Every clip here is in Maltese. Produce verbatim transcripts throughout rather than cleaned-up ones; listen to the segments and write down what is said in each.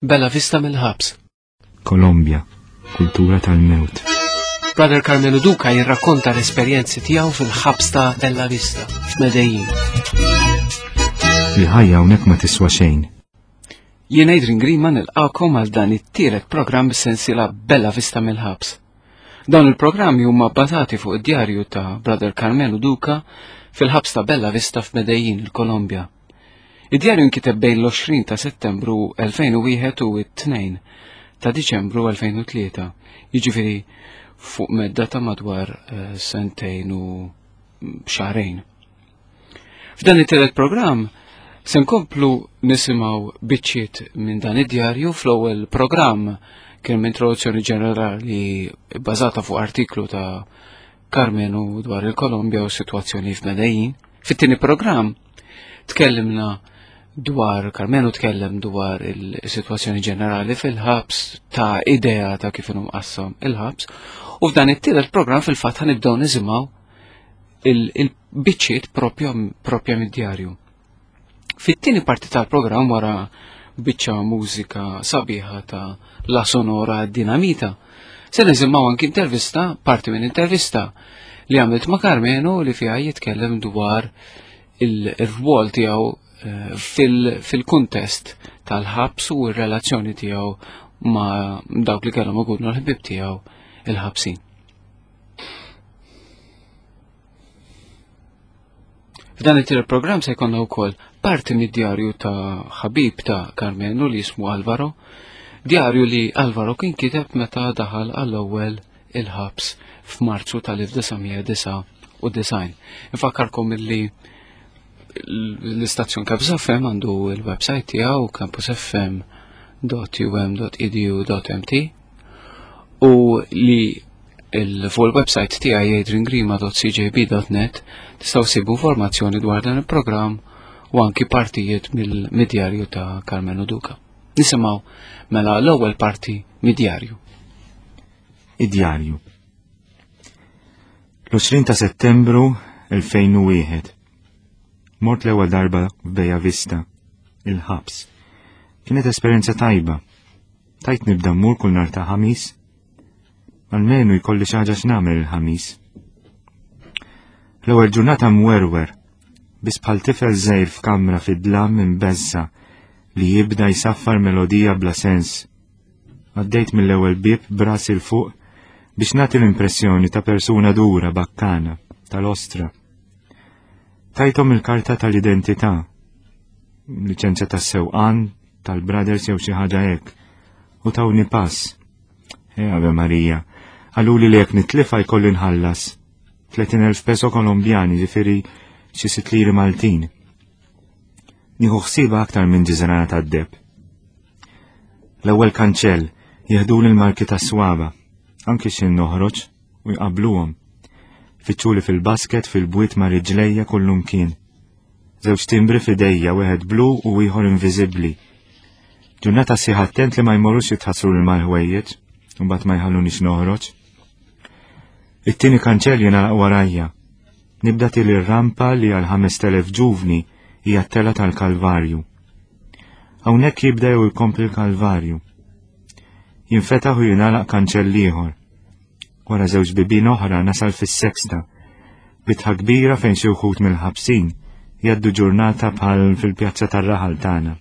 Bella Vista mill-ħabs. Kolombja, kultura tal-mewt. Brother Carmelo Duca jirrakkonta l-esperjenzi tiegħu fil-ħabs ta' Bella Vista f'Medellin. Il-ħajja hawnhekk ma tiswa xejn. Jien Adrian Grima nilqakom għal dan it-tielet programm bis-sensiela Bella Vista mill-ħabs. Dawn il-programmi huma bbażati fuq id-djarju ta' Brother Carmelo Duca fil-ħabs ta' Bella Vista f'Medellin, il-Kolombja. Id-djarju nkiteb bejn l-għoxrin ta' Settembru elfejn u wieħed u t-tnejn ta' Diċembru elfejn u tlieta, jiġifieri fuq medda ta' madwar eh, sentejn u xahrejn. F'dan it-tielet programm se nkomplu nisimgħu biċċiet minn dan id-djarju. Fl-ewwel programm kien introduzzjoni ġenerali bbażata fuq artiklu ta' Carmenu dwar il-Kolombja u s-sitwazzjoni f'Medellin. Fit-tieni programm tkellimna dwar Carmenu tkellem dwar il-sitwazzjoni ġenerali fil-ħabs, ta' idea ta' kif inhu mqassam il-ħabs, u f'dan it-tielet programm fil-fatt ħanibdew nisimgħu il-biċċiet propja propja mid-djarju. Fit-tieni parti tal-programm, wara biċċa mużika sabiħa ta' La Sonora Dinamita, se nisimgħu anki intervista, parti minn intervista li għamilt ma' Carmenu li fiha jitkellem dwar il-rwol tiegħu eh, fil-kuntest tal-ħabs u r-relazzjoni tiegħu ma' dawk li kellhom ikunu l-ħbieb tiegħu il-ħabsin. F'dan it-tielet programm se jkollna wkoll parti mid-djarju ta' ħabib ta' Carmenu li jismu Alvaro, djarju li Alvaro kien kiteb meta daħal għall-ewwel il-ħabs f'Marzu tal-elf disa' mija disgħa u disgħin. Infakkarkom illi l-istazzjon Campus F M għandu il-website tiegħu campus F M dot U M dot E D U dot M T u li il fuq il-website tiegħi adriangrima dot C J B dot net tistgħu ssibu informazzjoni dwar dan il-programm u anki partijiet mill-djarju ta' Carmenu Duca. Nisimgħu mela l-ewwel parti mid-djarju. Id-djarju. L-għoxrin ta' Settembru elfejn u wieħed. Mort l-ewwel darba f'Bella Vista, il-ħabs. Kienet esperjenza tajba. Tajt nibda mmur kull nhar ta' Ħamis. Almenu jkolli xi ħaġa x'nagħmel il-Ħamis. L-ewwel ġurnata mwerwer, biss bħal tifel żgħir f'kamra fid-dlam imbeżża' li jibda jsaffar melodija bla sens. Għaddejt mill-ewwel bieb b'rasi 'l fuq biex nagħti l-impressjoni ta' persuna dura bakkana, tal-ostra. Tajthom il-karta tal-identità, liċenzja tas-sewqan, tal-brothers jew xi ħaġa hekk, u tawni pass. E Ave Marija, qaluli li jekk nitlifa jkolli nħallas. tletin elf peso kolombjani, ġifieri xi sitt liri Maltin. Nieħu ħsieba aktar minn ġiżrana tad-deheb. L-ewwel kanċell jeħduli l-marki tas-swaba, anki xin noħroġ u jqabluhom. Fittxuli fil-basket fil-bwiet ma' riġlejja kullum kien. Żewġ timbri f'idejja, wieħed blu u ieħor inviżibbli. Ġurnata sħiħa attent li ma jmorrux jitħassru l mal-ħwejjeġ, u mbagħad ma jħallunix noħroġ. It-tieni kanċell jingħalaq warajja. Nibda tiela' r-rampa li għal ħamest elef ġuvni hija t-tela tal-Kalvarju. Hawnhekk jibda jew jkompli l-Kalvarju. Jinfetaħ u jingħalaq kanċell ieħor. Wara żewġ bibien oħra nasal fis-sexta. Bitħa kbira fejn xi wħud mill-ħabsin jgħaddu ġurnata bħal fil-pjazza tar-raħal tagħna.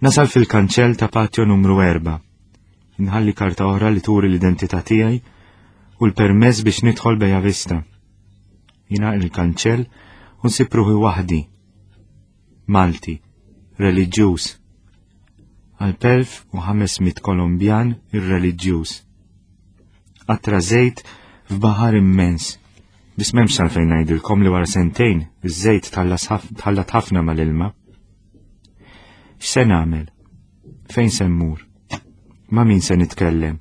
Nasal fil-kanċell ta' patio numru erba'. Inħalli karta oħra li turi l-identità tiegħi u l-permess biex nidħol Bella Vista. Jingħalaq il-kanċell u nsib ruħi waħdi. Malti, reliġjuż. Għal elf u ħames mitt Kolombjan irreliġjuż. Qatra żejt f'baħar immens. Biss m'hemmx għalfejn ngħidilkom li wara sentejn iż-żejt tħallat ħafna mal-ilma. X'se nagħmel? Fejn se mmur? Ma' min se nitkellem?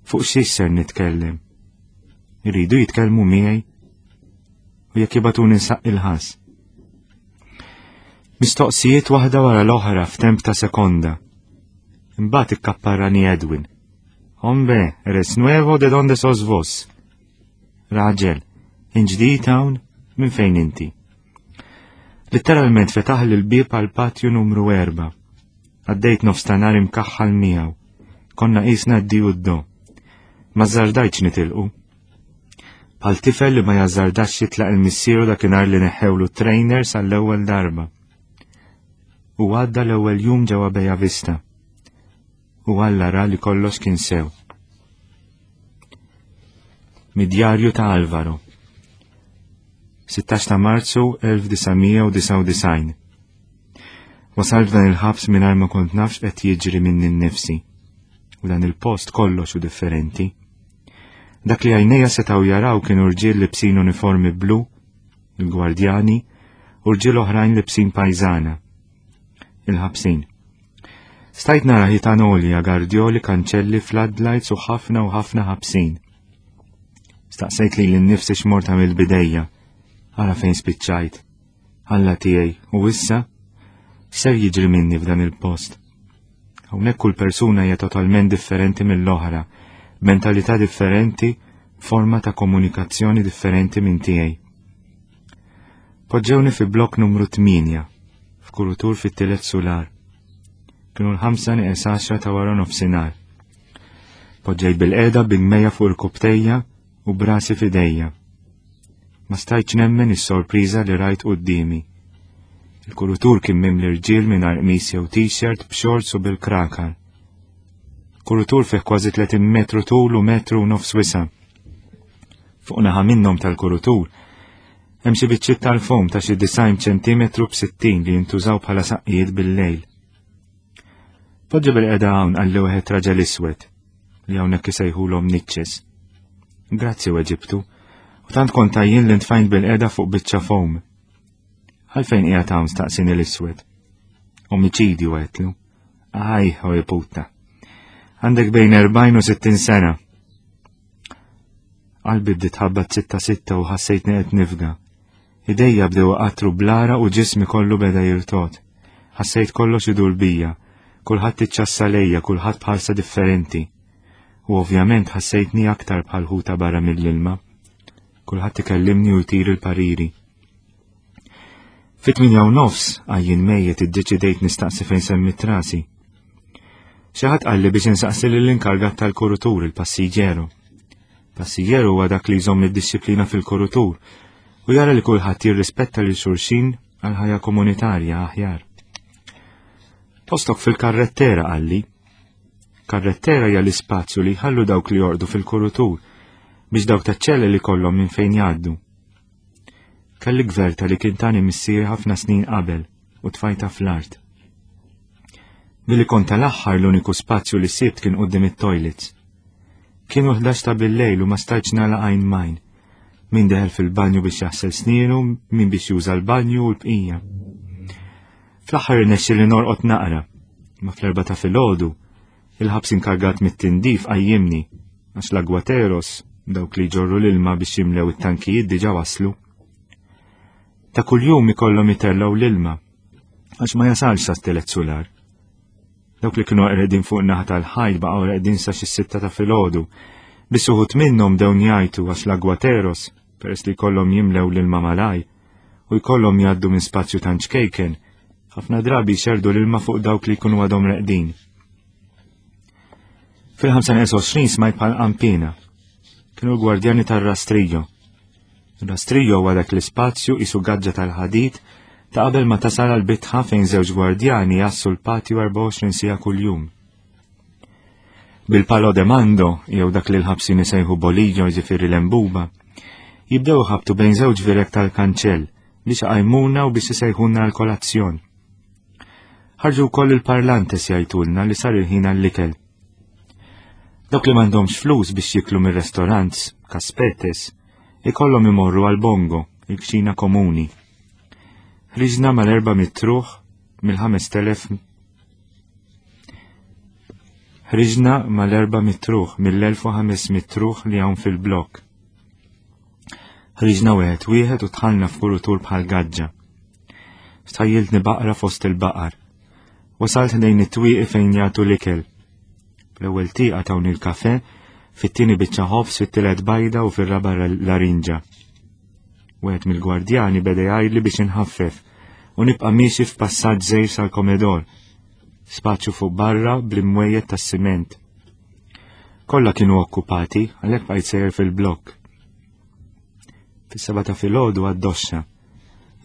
Fuq xiex ser nitkellem? Iridu jitkellmu miegħi? U jekk jibagħtuni nsaqqi il-ħass? Mistoqsijiet waħda wara l-oħra f'temp ta' sekonda. Imbagħad ikkapparrani Edwin. "Hombre, eres nuevo, de donde sos vos?" Raġel, int ġdid hawn, minn fejn inti? Letteralment fetaħ l-bieb għal patju numru erba'. Għaddejt nofs ta' nhar imkaħħal miegħu. Konna qisna d-di u d-do. Ma żżardajtx nitilqu. Bħal tifel li ma jażżardax jitlaq lil missieru dakinhar li neħħewlu trainer sal-ewwel darba. U għadda l-ewwel jum ġewwa Bella Vista. U Alla ra li kollox kien sew. Mid-djarju ta' Alvaro. sittax ta' Marzu elf disa' mija u disgħa u disgħin. Wasalt f'dan il-ħabs mingħajr ma kont nafx qed jiġri minni nnifsi. U dan il-post kollox hu differenti. Dak li għajnejja setgħu jaraw kienu rġiel libsin uniformi blu, il-gwardjani, u rġiel oħrajn libsin pajżana, il-ħabsin. Stajt nara ħitan għolja, gardjoli, kanċelli, floodlights u ħafna u ħafna ħabsin. Staqsejt li l-nifsi x'mort għamilt bidejja, ara fejn spiċċajt. Alla tiegħi, u issa ser jiġri minni f'dan il-post. Hawnhekk kull persuna hija totalment differenti mill-oħra, mentalità differenti, forma ta' komunikazzjoni differenti minn tiegħi. Poġġewni fi blokk numru tmienja, f'kurutur fit-tielet sular. Kienu l-ħamsa nieqes għaxra ta' wara nofsinhar. Poġġejt bil-qeda bil-mejja fuq il-kubtejja u brasi f'idejja. Ma stajtx nemmen is-sorpriża li rajt quddiemi. Il-kurutur kien mimli rġiel mingħajr qmis jew t-shirt b'shorts u bil-krakar. Kurutur fih kważi tletin metru tul u metru u nofs wisa'. Fuq naħa minnhom tal-kurutur hemm xi biċċiet tal-fom ta' xi disgħin ċentimetru b'sittin li jintużaw bħala saqqijiet bil-lejl. Poġġi bil-qeda hawn qalli wieħed raġel iswed li hawnhekk isejħulhom niċċes. Grazzi weġibtu, u tant kont għajjien li ntfajt bil-qeda fuq biċċa fom. Għalfejn qiegħed hawn staqsini l-iswed? Omiċidju għedtlu. Aj, oj puta. Għandek bejn erbgħin u sittin sena. Qalbi bdiet tħabbat sitta sitta u ħassejtni qed nifga. Idejja bdew qatru blara u ġismi kollu beda jirtot. Ħassejt kollox idur bija, kulħadd iċċassa lejja, kulħadd bħalsa differenti. U ovvjament ħassejtni aktar bħal ħuta barra mill-ilma. Kulħadd ikellimni u jtir il-pariri. Fit-tmienja u nofs għajjien mejjet iddeċidejt nistaqsi fejn semmit rasi. Xi ħadd qalli biex insaqsi lill-inkargat tal-kurutur, il-passiġġeru. Passiġġeru huwa dak li jżomm id-disciplina fil-kurutur u jara li kulħadd jirrispetta lil xulxin għal ħajja komunitarja aħjar. Postok fil-karrettera qalli. Karrettera hija l-ispazju li jħallu dawk li jorqdu fil-kurutur biex dawk taċ-ċelli li kollhom minn fejn jgħaddu. Kelli gverta li kien tani missieri ħafna snin qabel u tfajta fl-art. Billi kont tal-aħħar l-uniku spazju li sibt kien quddiem it-toilets. Kienu ħdax ta' bil-lejl u ma stajtx nagħlaq għajn majn. Min deħel fil-banju biex jaħsel snienu, min biex juża l-banju u l-bqija. Fl-aħħar irnexxi li norqod naqra, ma fl-erba ta' filgħodu, il-ħabs inkargat mit-tindif qajjimni għax l-agwateros, dawk li jġorru l-ilma biex jimlew it-tankijiet diġà waslu. Ta' kuljum ikollhom itellgħu l-ilma għax ma jasalx sa tielet sular. Dawk li kienu qegħdin fuq naħa tal-ħajt baqgħu qegħdin sa xi sitta ta' filgħodu, biss uħud minnhom dew jgħajtu għax l-agwateros, peress li jkollhom jimlew l-ilma malaj u jkollhom jgħaddu minn spazju tant ċkejken, ħafna drabi jxerdu l-ilma fuq dawk li jkunu għadhom reqdin. Fil-ħamsa nieqes għoxrin smajt bħal qampina. Kienu l-gwardjani tar-rastrillo. Ir-rastrillo huwa dak l-ispazju isu gaġġa tal-ħadid ta' qabel ma tasal għal bitħa fejn żewġ gwardjani jassu l-patju erbgħa u għoxrin siegħa kuljum. Bil-palo de mando, jew dak li l-ħabsin isejħu bolillo jiġifieri l-embuba, jibdew ħabtu bejn żewġ virek tal-kanċell biex iqajmuna u biex isejħulna l-kolazzjon. Ħarġu wkoll il-parlantes jgħidulna li sar il-ħin għall-ikel. Dawk li m'għandhomx flus biex jiklu mir-restorants, kaspetes, ikollhom imorru għal bongo, il-kċina komuni. Ħriġna mal-erba' mitruħ mill-ħames telef Ħriġna mal-erba' mitruħ mill-elf u ħames mitruħ li hawn fil-blok. Ħriġna wieħed wieħed u dħalna f'kurutur bħal gaġġa. Stajjiltni baqra fost il-baqar. Wasalt ħdejn it-twieqi fejn jagħtu l-ikel. L-ewwel tieqa tawni l-kafe, fit-tieni biċċa ħobż, fit-tielet bajda u fir-raba' larinġa. Wieħed mill-gwardjani beda jgħidli biex inħaffef u nibqa' miexi f'passaġġ żgħir sal-komedor. Spazju fuq barra bl-imwejjed tas-siment. Kollha kienu okkupati, għalhekk bqajt sejjer fil-blokk. Fis-seba ta' filgħodu għad-doxxa.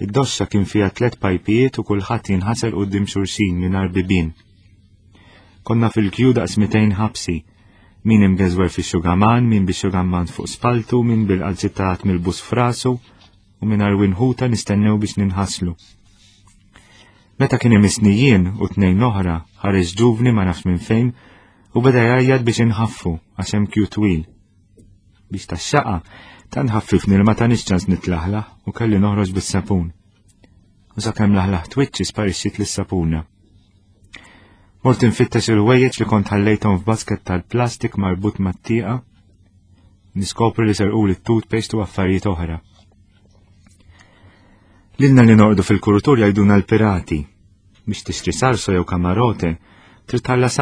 Id-doxxa kien fiha tliet pajpijiet u kulħadd jinħasel quddiem xulxin mingħajr bibien. Konna fil-kju daqs mitejn ħabsi, min imgeżwer fix-xugaman, min bix-xugaman fuq spaltu, min bil-qalzittat mill-bus frasu u mingħajr winħuta nistennew biex ninħaslu. Meta kien imisni jien u tnejn oħra, ħareġ ġuvni ma nafx minn fejn u beda jgħajjat biex inħaffu għax hemm kju twil. Biex tax-xaqa tant ħaffifni li ma tanix ċans nitlaħlaħ u kelli noħroġ bis-sapun. U sakemm laħlaħ twiċċi sparixxiet lis-sapuna. Mort infittex il-ħwejjeġ li kont ħallejthom f'basket tal-plastik marbut mat-tieqa, niskopri li serquli t-toothpaste u affarijiet oħra. Lilna li norqdu fil-kurutur jgħiduna l-pirati. Biex tixtri sarso jew kamarote, trid tħallas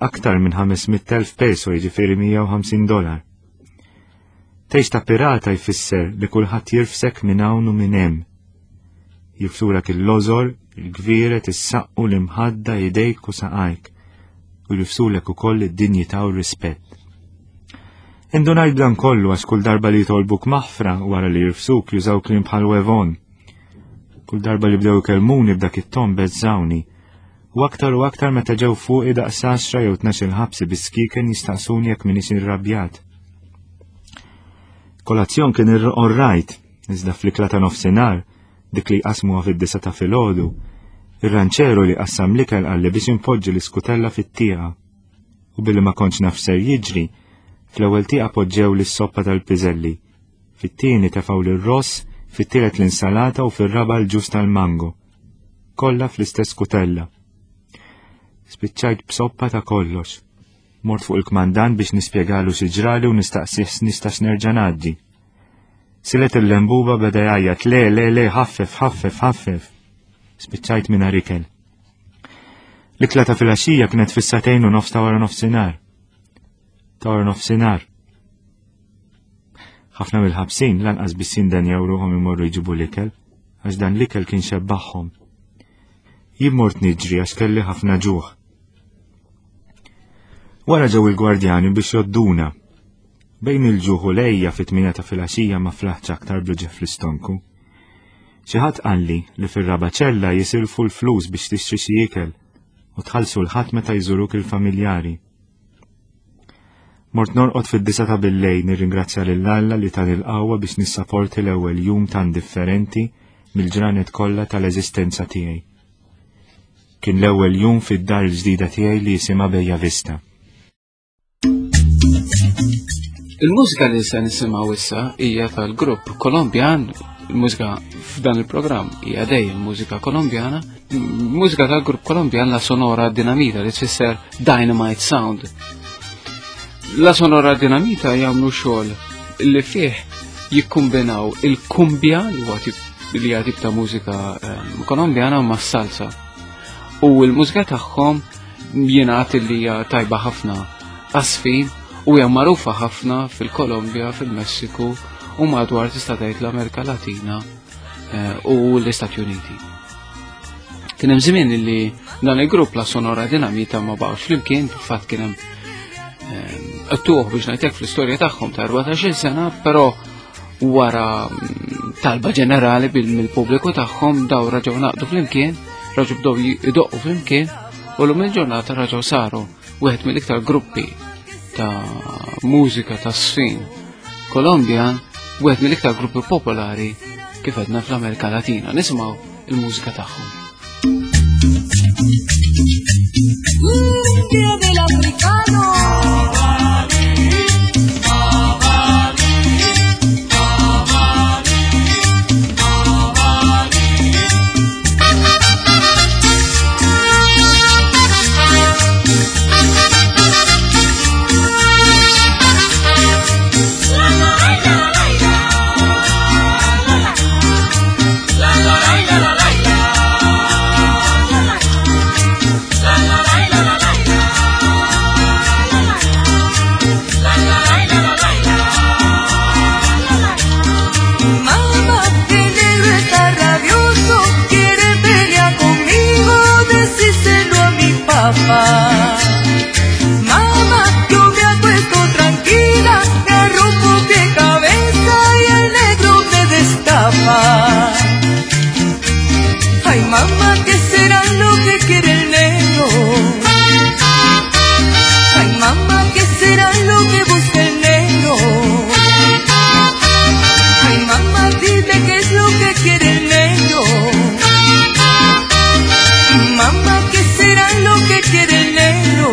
aktar minn ħames mitt elf peso, jiġifieri mija u ħamsin dolar. Tgħix ta' pirata jfisser li kulħadd jirfsek minn hawn u minn hemm. Jirfsulek il-lożor, il-gvieret, is-saqqu, l-imħadda, idejk u saqajk, u jirfsulek ukoll id-dinjità u r-rispett. Indunajt b'dan kollu għax kull darba li jitolbuk maħfra wara li jirfsuk jużaw kliem bħal wevon. Kull darba li bdew ikellmuni b'dak it-ton beżżawni, u aktar u aktar meta ġew fuqi daqs għaxra jew tnax-il ħabsi bis-skiken jistaqsuni jekk m'iniex irrabjat. Kolazzjon kien orrajt, iżda fl-ikla ta' nofsinhar, dik li jqasmuha fid-disa ta' filgħodu, ir-ranċeru li qassam l-ikel qalli biex inpoġġi l-iskutella fit-tieqa. U billi ma kontx naf ser jiġri, fl-ewwel tieqa poġġew lis-soppa tal-piżelli, fit-tieni tefgħu lir-ross, fit-tielet l-insalata u fir-raba' l-ġus tal-mango. Kollha fl-istess kutella. Spiċċajt b'soppa ta' kollox. Mort fuq il-kmandant biex nispjegalu xi ġrali u nistaqsih nistax nerġa' ngħaddi. Silet il-lembuba beda jgħajjat le, le, le, ħaffef, ħaffef, ħaffef. Spiċċajt mingħajr ikel. L-ikla ta' filgħaxija kienet fis-sagħtejn u nofs ta' wara nofsinhar. Ta' wara nofsinhar. Ħafna mill-ħabsin lanqas biss jindenjaw ruħhom imorru jġibu l-ikel, għax dan l-ikel kien xebbaħhom. Jien mort niġri għax kelli ħafna ġuħ. Wara ġew il-gwardjani biex jodduna. Bejn il-ġuħ u lejja fit-tmienja ta' filgħaxija ma flaħtx aktar bl-ġef fl-istonku. Xi ħadd qalli li fir-raba' ċella jisilfu l-flus biex tixtri xi ikel u tħallsu l-ħadd meta jżuruk il-familjari. Mort norqod fid-disa ta' billejl nirringrazzja lil Alla li tani l-qawwa biex nissaporti l-ewwel jum tan differenti mill-ġranet kollha tal-eżistenza tiegħi. Kien l-ewwel jum fid-dar il-ġdida tiegħi li jisimha Bella Vista. Il-mużika li se nisimgħu issa hija tal-grupp Kolombjan. Il-mużika f'dan il-programm hija dejjem mużika Kolombjana, mużika tal-grupp Kolombjan La Sonora Dinamita li tfisser Dynamite Sound. La Sonora Dinamita jagħmlu xogħol li fih jikkombinaw il-kumbja li huwa tip li hija tip ta' mużika, ehm, Kolombjana ma' salsa. U l-mużika tagħhom jingħad li hija tajba ħafna għasfin u hija magħrufa ħafna fil-Kolombja, fil-Messiku u madwar tista' tgħid l-Amerika Latina, eh, u l-Istati Uniti. Kien hemm żmien li dan il-grupp La Sonora Dinamita ma baqgħux flimkien, fil-fatt kien hemm, ehm, qtuħ biex ngħidlek fl-istorja tagħhom ta' erbatax-il sena, però wara, mm, talba ġenerali bil-, mill-pubbliku tagħhom daw raġgħu naqdu flimkien, raġgħu bdew idoqqu flimkien u llum il-ġurnata raġgħu saru wieħed mill-iktar gruppi ta' mużika ta' sfin Kolombjan, wieħed mill-iktar gruppi popolari kif għedna fl-Amerika Latina. Nisimgħu il-mużika tagħhom. Cumbia del africano. La la la la la. Mamá, yo me acuesto tranquila, me arropo de cabeza y el negro me destapa. Ay, mamá, ¿qué será lo que quiere el negro? Ay, mamá, ¿qué será lo que busca el negro? Ay, mamá, dime qué es lo que quiere el negro. Mamá, ¿qué será lo que quiere el negro?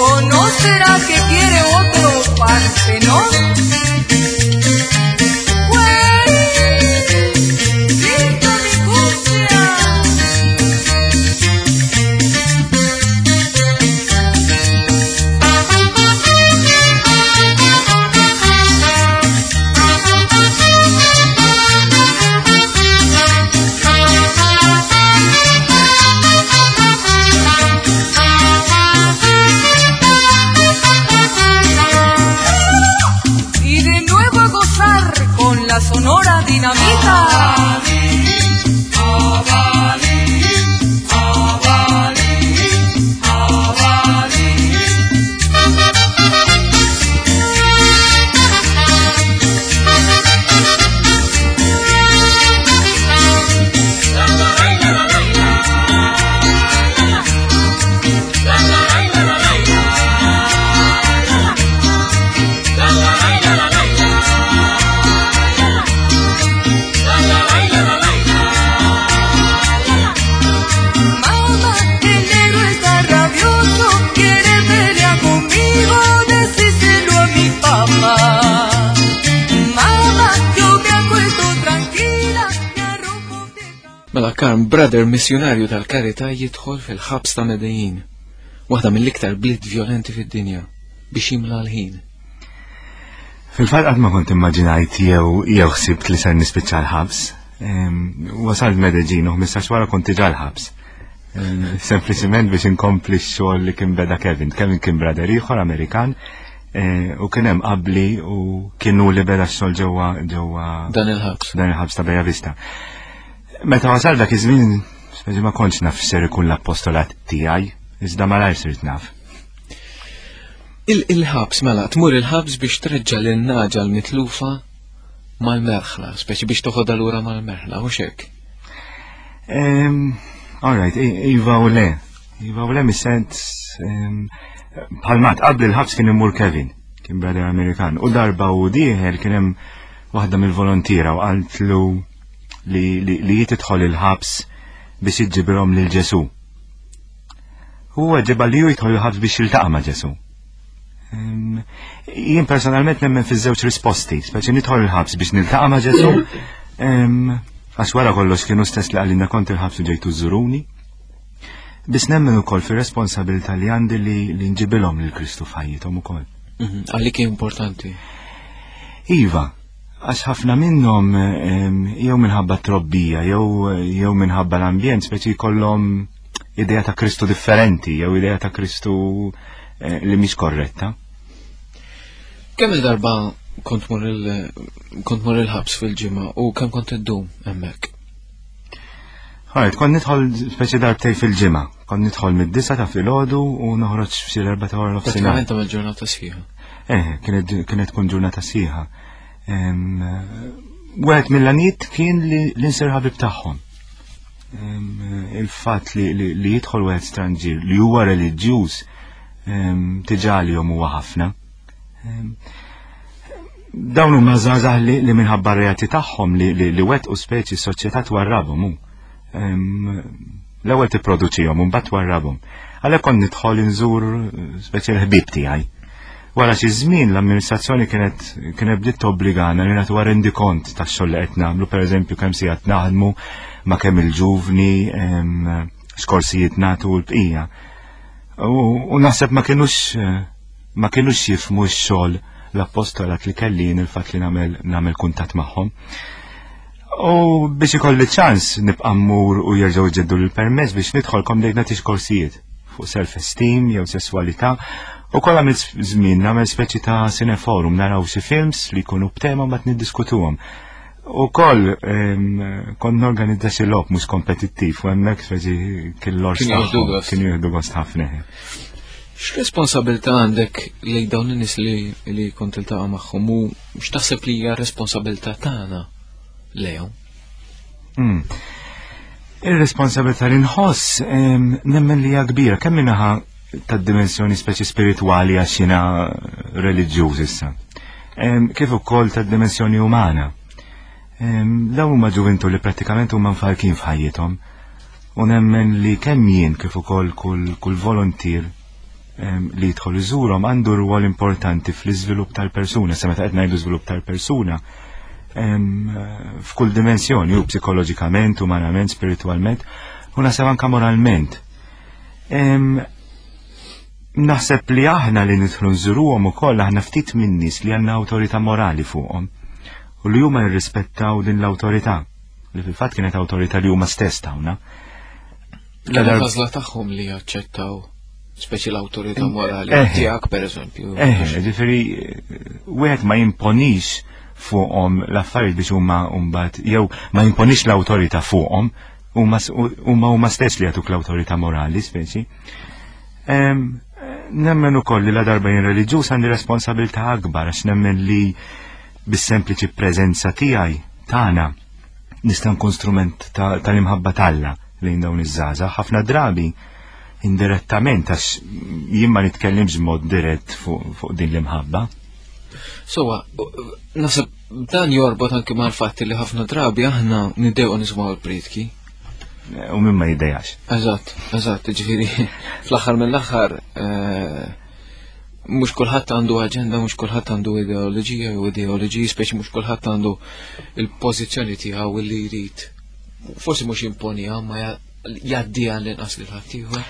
¿O no será que quiere otro partenón? ¡Grita mi cumbia! Y de nuevo a gozar con la Sonora Dinamita. Mamá, el negro está rabioso, quiere pelear conmigo, decíselo a mi papá. Mamá, yo me acuesto tranquila, me arropo de cabeza. Mela Karm, brother missjunarju tal-karità jidħol fil-ħabs ta' Medellin, waħda mill-iktar bliet violenti fid-dinja, biex jimla l-ħin. Fil-fatt qatt ma kont immaġinajt jew jew ħsibt li ser nispiċċa l-ħabs. Em, Wasalt Medellin u ħmistax wara kont diġà l-ħabs. Em, Sempliċiment biex inkompli x-xogħol li kien beda Kevin. Kevin kien brother ieħor Amerikan eh, u kien hemm qabli u kienu li beda x-xogħol ġewwa ġewwa Dan il-ħabs. dan il-ħabs ta' Bella Vista. Meta wasal dak iż-żmien, speċi ma kontx naf x'ser ikun l-appostolat tiegħi, iżda malajr sirt naf. Il- Il-ħabs, mela, tmur il-ħabs biex treġġa lin-nagħġa l-mitlufa mal-merħla, speċi biex toħodha lura mal-merħla, u xek. Um, all right, i- iva u le. Iva u le mis-sens bħalmat qabel il-ħabs kien imur Kevin, kien brother Amerikan. U darba u dieħel kien hemm waħda mill-volontiera u qaltlu li li, li tidħol il-ħabs biex iġġibirhom lil Ġesu. Huwa ġeba li hu jidħol il-ħabs biex jiltaqa' ma' Ġesu. Em, Jien personalment nemmen fiż-żewġ risposti, speċi nidħol il-ħabs biex niltaqa' ma' Ġesu. em, Għax wara kollox kienu stess li qalilna kont il-ħabs u ġejtu żuruni. Biss nemmen ukoll fir-responsabilità li għandi li, li nġibilhom lil Kristu f'ħajjithom ukoll. Mhm, Għalik importanti. Iva, għax ħafna minnhom em, jew minħabba trobbija, jew jew minħabba l-ambjent, speċi jkollhom idea ta' Kristu differenti, jew idea ta' Kristu eh, li mhix korretta. Kemm il-darba kont mur il- kont mur il-ħabs fil-ġimgħa u kemm kont iddum hemmhekk? Alright, kont nidħol speċi darbtej fil-ġimgħa. Kont nidħol mid-disa ta' filgħodu u noħroġ f'xi l-erba' ta' wara nofsinhar. Pratikament tagħmel ġurnata sħiħa. Eh, kienet kienet tkun ġurnata sħiħa. Em, Wieħed mill-għanijiet kien li li nsir ħabib tagħhom. Em, Il-fatt li, li, li jidħol wieħed stranġier li huwa reliġjuż em, diġà għalihom huwa ħafna. Em, Dawn huma żgħażagħ li, li minħabba r-reati tagħhom li, li, li wettqu speċi s-soċjetà twarrabhom hu. Em, L-ewwel tipproduċihom u mbagħad twarrabhom. Għalhekk kont nidħol inżur eh, speċi l-ħbieb tiegħi. Wara xi żmien l-amministrazzjoni kienet kienet bdiet tobbligana li nagħtu rendikont tax-xogħol li qed nagħmlu, pereżempju kemm sigħat naħdmu ma' kemm il-ġuvni, em, x'korsijiet nagħtu u l-bqija. U, u naħseb ma kienux eh, ma kienux jifhmu x-xogħol l-appostolat li kelli jien il-fatt li nagħmel nagħmel kuntatt magħhom. U biex ikolli ċans nibqa' mmur u jerġgħu jġeddu l-permess biex nidħol kom bdejt nagħti korsijiet fuq self-esteem jew sesswalità u kollha għamilt żmien nagħmel speċi ta' cineforum naraw xi films li jkunu b'tema mbagħad niddiskutuhom. U koll, kont norganizza xi logħob mhux kompetittiv u hemmhekk speċi kien l-ors kienu jieħdu gost ħafna. X'responsabilità għandek lejn dawn in-nies li li kont tiltaqa' magħhom u x'taħseb li hija responsabilità tagħna lejhom? Mm. Ir-responsabilità li nħoss nemmen li hija kbira kemm minnaħa tad-dimensjoni speċi spiritwali għax jiena reliġjuż issa. Kif ukoll tad-dimensjoni umana. Dawn huma ġuvintu li prattikament huma mfarkin f'ħajjithom u nemmen li kemm jien kif ukoll kull, kull volontier li jidħol iżurhom għandu rwol importanti fl-iżvilupp tal-persuna, sa meta qed ngħidu żvilupp tal-persuna f'kull dimensjoni, u psikoloġikament, umanament, spiritwalment, u naħseb anke moralment. Naħseb li aħna li nidħlu nżuruhom ukoll aħna ftit minn nies li għandna awtorità morali fuqhom u li huma jirrispettaw din l-awtorità, li fil-fatt kienet awtorità li huma stess tawna. Kienet għażla tagħhom li jaċċettaw speċi l-awtorità morali tiegħek pereżempju. Eh, ġifieri wieħed ma jimponix fuqhom l-affarijiet biex huma mbagħad jew ma jimponix l-awtorità fuqhom, huma huma stess li jagħtuk l-awtorità morali speċi. Nemmen ukoll li la darba jien reliġjuż għandi responsabilità akbar għax nemmen li bis-sempliċi preżenza tiegħi tagħna nista' nkun strument tal-imħabba t'Alla lejn dawn iż-żgħażagħ ħafna drabi indirettament għax jien ma nitkellimx b'mod dirett fuq din l-imħabba. Sowa, naħseb dan jorbot anke mal-fatt li ħafna drabi aħna niddew nisimgħu l-prietki. U min ma jiddejax. Eżatt, eżatt, ġifieri fl-aħħar mill-aħħar mhux kulħadd għandu aġenda, mhux kulħadd għandu ideoloġija jew ideoloġiji, speċi mhux kulħadd għandu il-pożizzjoni tiegħu li jrid. Forsi mhux jimponiha, ma jgħaddiha l-inqas lil ħaddieħor.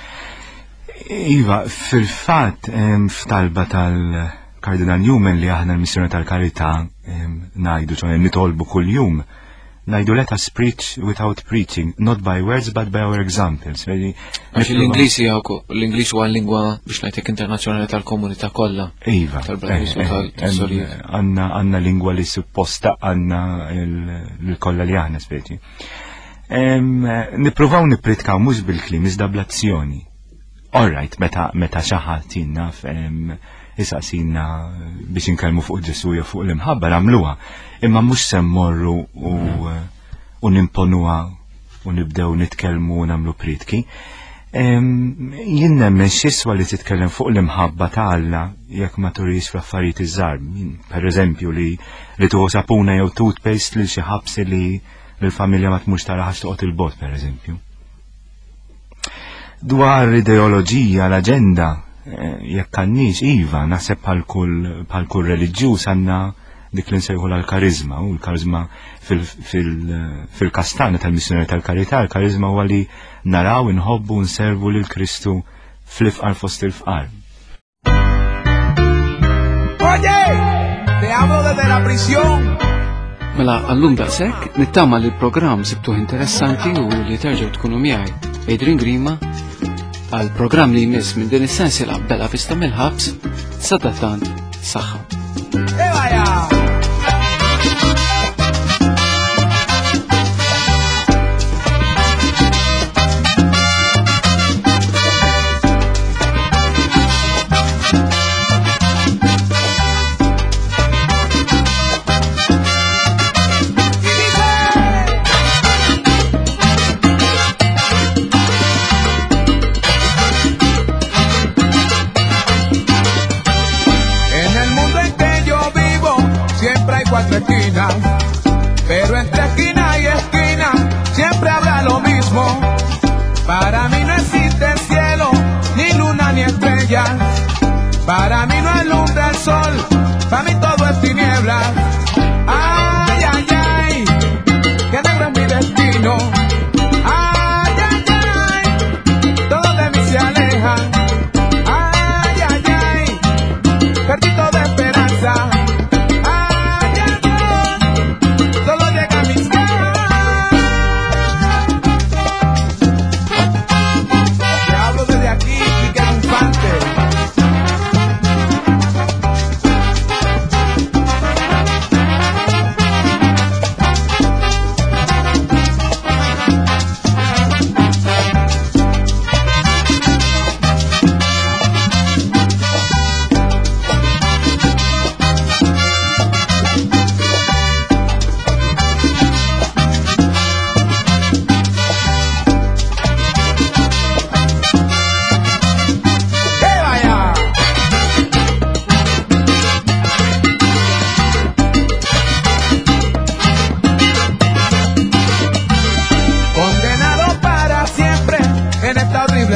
Iva, fil-fatt f'talba tal-Kardinal Newman li aħna l-missjoni tal-karità ngħidu, ċoħe nitolbu kuljum, ngħidu let us preach without preaching, not by words but by our examples. Għax l-Ingliż l-Ingliż huwa lingwa biex ngħidlek internazzjonali tal-komunità kollha. Iva, għandna lingwa li supposta għandna l-kollha li aħna speċi. Nippruvaw nippritkaw mhux bil-kliem iżda bl-azzjoni. All right, meta meta xi ħadd jinnaf isaqsina biex inkellmu fuq Ġesu jew fuq l-imħabba nagħmluha, imma mhux se mmorru u, u nimponuha u nibdew nitkellmu u nagħmlu pritki. Jien nemmen x'iswa li titkellem fuq l-imħabba ta' Alla jekk ma turix fl-affarijiet iż-żgħar. Pereżempju li li tuħu sapuna jew toothpaste lil xi ħabsi li l-familja ma tmurx tara ħax toqgħod il-bot pereżempju. Dwar ideoloġija, l-aġenda, jekk għandniex, iva, naħseb bħal kull reliġjuż għandna dik li nsejħu l-karizma, u l-karizma fil-kastana tal-missjoni tal-karità, l-karizma huwa li naraw, inħobbu, nservu lil Kristu fl-ifqar fost il-fqar. Oye, te hablo desde la prisión. Mela għallum daqshekk, nittama li l-programm sibtuh interessanti u li terġgħu tkunu miegħi Adrian Grima għal programm li jmiss minn din is-sensiela Bella Vista mill-ħabs. Sadattant saħħa. Cuatro esquinas, pero entre esquina y esquina siempre habrá lo mismo. Para mí no existe cielo, ni luna ni estrella. Para mí no alumbra el sol, para mí todo es tiniebla. Ay, ay, ay, que negro es mi destino. Ay, ay, ay, todo de mí se aleja. Ay, ay, ay, perdí toda esperanza.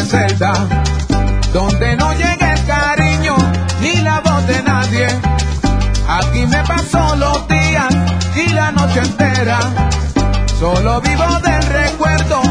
celda, donde no llega el cariño ni la voz de nadie. Aquí me paso los días y la noche entera. Solo vivo del recuerdo.